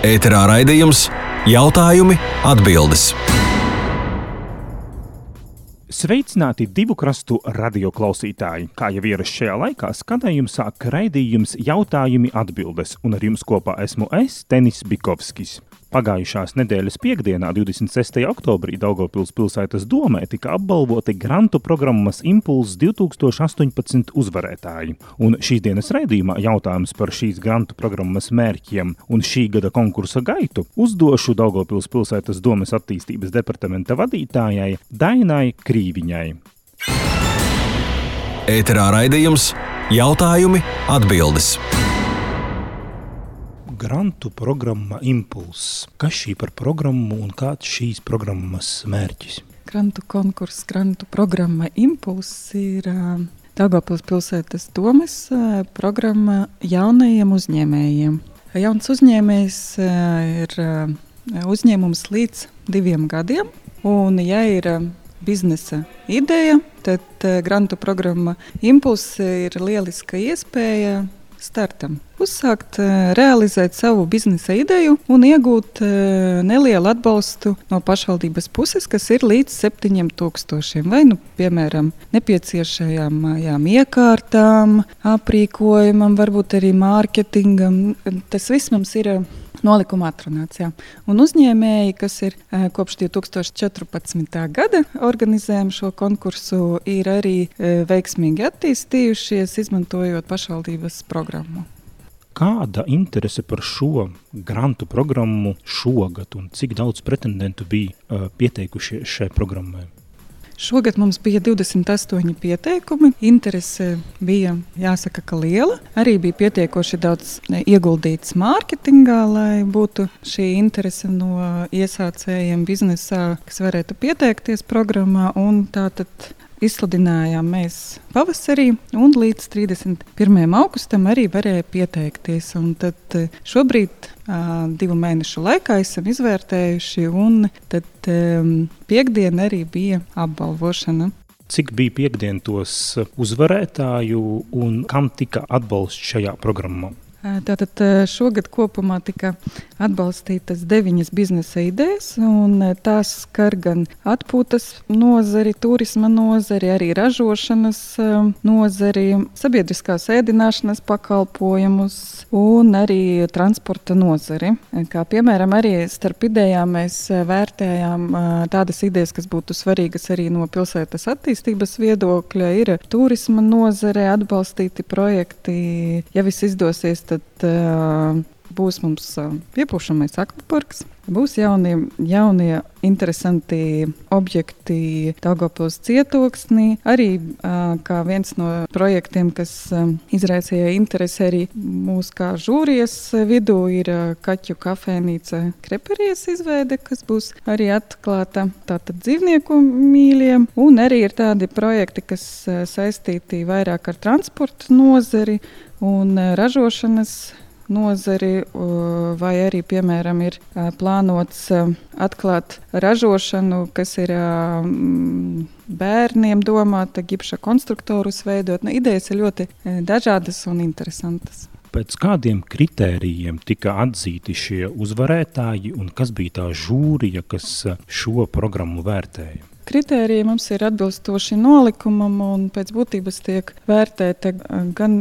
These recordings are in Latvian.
Ēterā raidījums Jautājumi, atbildes. Sveicināti divu krastu radioklausītāji. Kā jau ierasts šajā laikā, skanējuma sāk raidījums Jautājumi, atbildes, un ar jums kopā esmu es, Tenis Bikovskis. Pagājušās nedēļas piekdienā, 26. oktobrī, Daugavpils pilsētas domē tika apbalvoti grantu programmas Impulss 2018 uzvarētāji. Un šīs dienas raidījumā jautājums par šīs grantu programmas mērķiem un šī gada konkursa gaitu uzdošu Daugavpils pilsētas domes attīstības departamenta vadītājai Dainai Krīviņai. Ēterā raidījums Jautājumi, atbildes. Grantu programma Impulss. Kas šī par programmu un kāds šīs programmas mērķis? Grantu konkurss, grantu programma Impulss ir Daugavpils pilsētas domes programma jaunajiem uzņēmējiem. Jauns uzņēmējs ir uzņēmums līdz 2 gadiem, un ja ir biznesa ideja, tad grantu programma Impulss ir lieliska iespēja startam. Uzsākt, realizēt savu biznesa ideju un iegūt nelielu atbalstu no pašvaldības puses, kas ir līdz 7,000. Vai, piemēram, nepieciešajām iekārtām, aprīkojumam, varbūt arī mārketingam. Tas viss mums ir nolikuma atrunāts. Jā. Un uzņēmēji, kas ir kopš 2014. gada organizējam šo konkursu, ir arī veiksmīgi attīstījušies, izmantojot pašvaldības programmu. Kāda interese par šo grantu programmu šogad un cik daudz pretendentu bija pieteikušies šai programmai? Šogad mums bija 28 pieteikumi. Interese bija, jāsaka, ka liela. Arī bija pietiekoši daudz ieguldīts mārketingā, lai būtu šī interese no iesācējiem biznesā, kas varētu pieteikties programmā. Un tātad izsludinājām mēs pavasarī, un līdz 31. augustam arī varēja pieteikties. Un tad šobrīd 2 mēnešu laikā esam izvērtējuši, un tad piekdien arī bija apbalvošana. Cik bija piekdien tos uzvarētāju un kam tika atbalsts šajā programmā? Tātad šogad kopumā tika atbalstītas 9 biznesa idejas, un tās skar gan atpūtas nozari, turisma nozari, arī ražošanas nozari, sabiedriskās ēdināšanas pakalpojumus un arī transporta nozari. Kā piemēram, arī starp idejām mēs vērtējām tādas idejas, kas būtu svarīgas arī no pilsētas attīstības viedokļa, ir turisma nozare, atbalstīti projekti. Ja viss izdosies, tad būs mums piepūšamais akvaparks, būs jaunie interesanti objekti Daugavpils cietoksnī. Arī kā viens no projektiem, kas izraisīja interesi arī mūs kā žūrijas vidū, ir kaķu kafēnīca Kreperies izveide, kas būs arī atklāta tātad dzīvnieku mīļiem. Un arī ir tādi projekti, kas saistīti vairāk ar transporta nozari un ražošanas nozari, vai arī, piemēram, ir plānots atklāt ražošanu, kas ir bērniem domāta, gipša konstruktorus veidot. Idejas ir ļoti dažādas un interesantas. Pēc kādiem kritērijiem tika atzīti šie uzvarētāji un kas bija tā žūrija, kas šo programmu vērtēja? Kritēriji mums ir atbilstoši nolikumam, un pēc būtības tiek vērtēta gan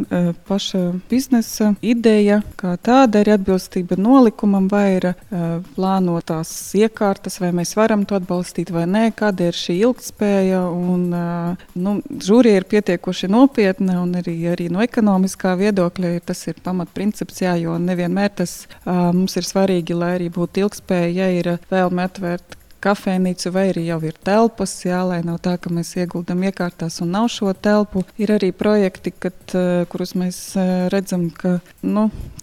paša biznesa ideja, kā tāda ir atbilstība nolikumam, vai ir plānotās iekārtas, vai mēs varam to atbalstīt vai nē, kāda ir šī ilgtspēja. Žūrija ir pietiekoši nopietna, un arī no ekonomiskā viedokļa tas ir pamatprincips, jo nevienmēr tas mums ir svarīgi, lai arī būtu ilgtspēja, ja ir vēlme atvērt kafēnīcu, vai arī jau ir telpas, lai nav tā, ka mēs ieguldam iekārtās un nav šo telpu. Ir arī projekti, kurus mēs redzam, ka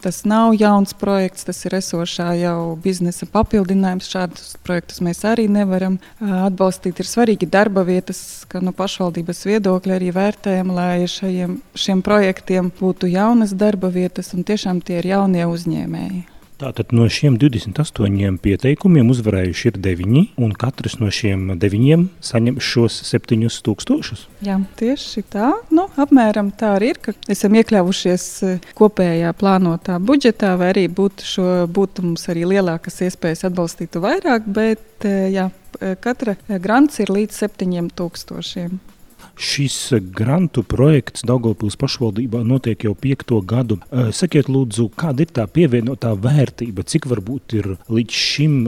tas nav jauns projekts, tas ir esošā jau biznesa papildinājums. Šādus projektus mēs arī nevaram atbalstīt. Ir svarīgi darba vietas, ka no pašvaldības viedokļa arī vērtējam, lai šiem projektiem būtu jaunas darba vietas, un tiešām tie ir jaunie uzņēmēji. Tātad no šiem 28 pieteikumiem uzvarējuši ir 9, un katrs no šiem 9 saņem šos 7,000. Jā, tieši tā. Apmēram tā arī ir, ka esam iekļāvušies kopējā plānotā budžetā, vai arī būtu mums arī lielākas iespējas atbalstīt vairāk, bet jā, katra grants ir līdz 7,000. Šis grantu projekts Daugavpils pašvaldībā notiek jau 5. gadu. Sakiet, lūdzu, kāda ir tā pievienotā vērtība, cik varbūt ir līdz šim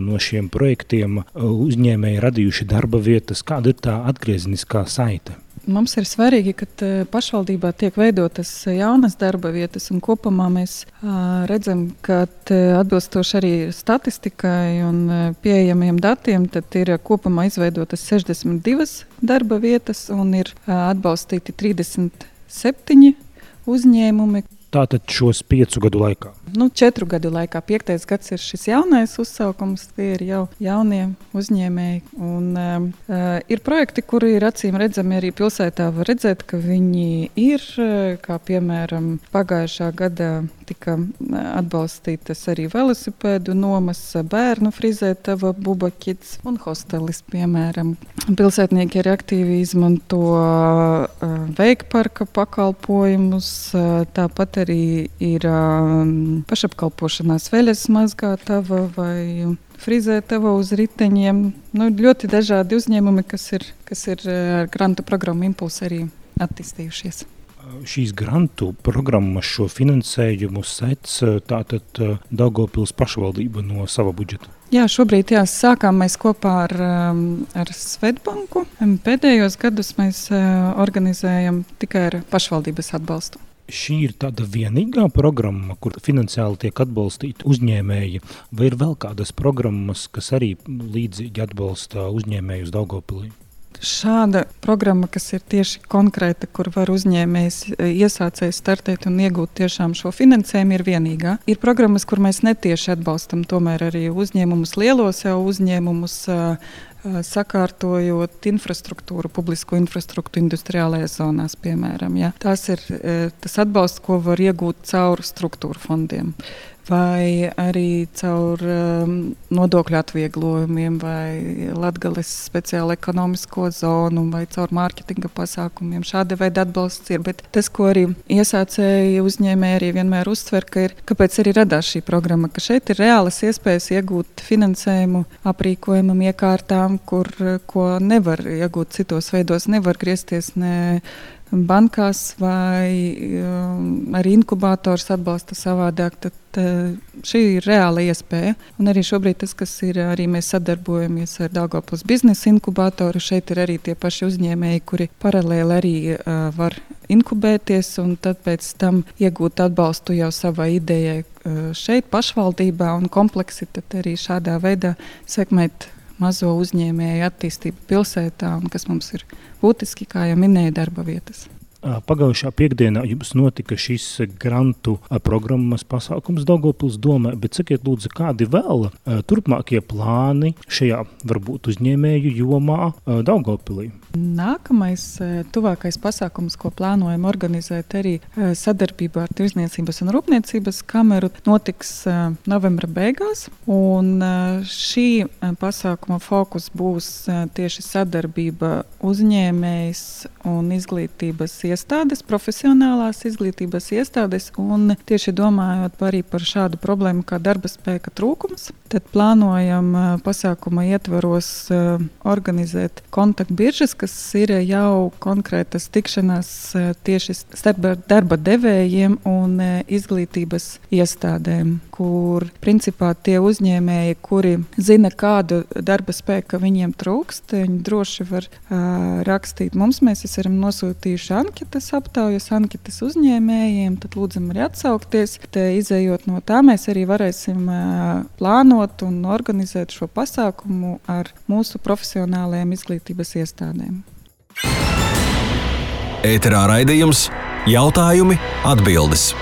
no šiem projektiem uzņēmēji radījuši darba vietas, kāda ir tā atgriezeniskā saite? Mums ir svarīgi, ka pašvaldībā tiek veidotas jaunas darba vietas, un kopumā mēs redzam, ka atbilstoši arī statistikai un pieejamiem datiem, tad ir kopumā izveidotas 62 darba vietas un ir atbalstīti 37 uzņēmumi. Tātad šos 5 gadu laikā? 4 gadu laikā. 5. gads ir šis jaunais uzsaukums, tie ir jau jaunie uzņēmēji. Un, ir projekti, kuri ir acīm redzami arī pilsētā. Var redzēt, ka viņi ir, kā piemēram pagājušā gadā tika atbalstītas arī velosipēdu nomas, bērnu frizētava Buba Kids un hostelis, piemēram. Pilsētnieki arī aktīvi izmanto veikparka pakalpojumus, tāpat arī ir pašapkalpošanās veļas mazgātava vai frizētava uz riteņiem. Ļoti dažādi uzņēmumi, kas ir ar grantu programmu Impulss arī attīstījušies. Šīs grantu programmas šo finansējumu sec tātad Daugavpils pašvaldība no sava budžeta. Jā, šobrīd sākām mēs kopā ar Svetbanku. Pēdējos gadus mēs organizējam tikai ar pašvaldības atbalstu. Šī ir tāda vienīgā programma, kur finansiāli tiek atbalstīti uzņēmēji, vai ir vēl kādas programmas, kas arī līdzīgi atbalsta uzņēmējus Daugavpilī? Šāda programma, kas ir tieši konkrēta, kur var uzņēmējs iesācējs startēt un iegūt tiešām šo finansējumu, ir vienīgā. Ir programmas, kur mēs netieši atbalstam tomēr arī uzņēmumus, lielos jau uzņēmumus, sakārtojot infrastruktūru, publisko infrastruktūru industriālajās zonās, piemēram. Ja. Tas ir tas atbalsts, ko var iegūt caur struktūru fondiem. Vai arī caur nodokļu atvieglojumiem, vai Latgales speciālo ekonomisko zonu, vai caur mārketinga pasākumiem. Šāda veida atbalsts ir, bet tas, ko arī iesācēji uzņēmēji arī vienmēr uztver, kāpēc arī radās šī programma, ka šeit ir reālas iespējas iegūt finansējumu aprīkojumam, iekārtām, ko nevar iegūt citos veidos, nevar griezties ne bankās vai arī inkubators atbalsta savādāk, tad šī ir reāla iespēja. Un arī šobrīd tas, kas ir, arī mēs sadarbojamies ar Daugavpils biznesa inkubatoru, šeit ir arī tie paši uzņēmēji, kuri paralēli arī var inkubēties un tad pēc tam iegūt atbalstu jau savai idejai šeit pašvaldībā un kompleksi tad arī šādā veidā sekmēt mazo uzņēmēju attīstību pilsētā, un kas mums ir būtiski, kā jau minēja, darba vietas. Pagājušā piekdienā jums notika šis grantu programmas pasākums Daugavpils domē, bet sakiet lūdzu, kādi vēl turpmākie plāni šajā varbūt uzņēmēju jomā Daugavpilī? Nākamais, tuvākais pasākums, ko plānojam organizēt arī sadarbībā ar Tirdzniecības un Rūpniecības kameru, notiks novembra beigās. Un šī pasākuma fokus būs tieši sadarbība uzņēmējs un izglītības iestādes, profesionālās izglītības iestādes, un tieši domājot arī par šādu problēmu kā darba spēka trūkums, tad plānojam pasākuma ietvaros organizēt kontaktbiržas, kas ir jau konkrētas tikšanās tieši starp darba devējiem un izglītības iestādēm, kur principā tie uzņēmēji, kuri zina, kādu darba spēku viņiem trūkst, viņi droši var rakstīt mums. Mēs esam nosūtījuši anketas aptaujas, anketas uzņēmējiem, tad lūdzam arī atsaukties. Te izējot no tā, mēs arī varēsim plānot un organizēt šo pasākumu ar mūsu profesionālajiem izglītības iestādēm. Ēterā raidījums Jautājumi, atbildes.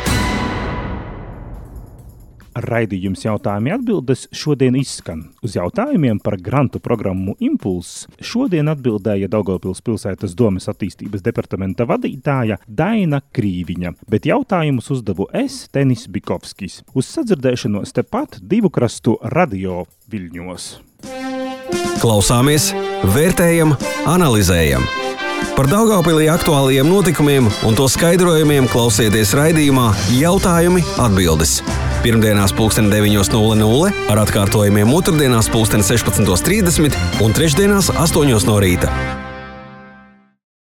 Raidījums jautājumi atbildes šodien izskan. Uz jautājumiem par grantu programmu Impulss šodien atbildēja Daugavpils pilsētas domes attīstības departamenta vadītāja Daina Krīviņa, bet jautājumus uzdevu es, Tenis Bikovskis. Uz sadzirdēšanos tepat Divu krastu radio Viļņos. Klausāmies, vērtējam, analizējam. Par Daugavpilī aktuālajiem notikumiem un to skaidrojumiem klausieties raidījumā Jautājumi atbildes. Pirmdienās 9:00 ar atkārtojumiem otrdienās 16:30 un trešdienās 8:00 no rīta.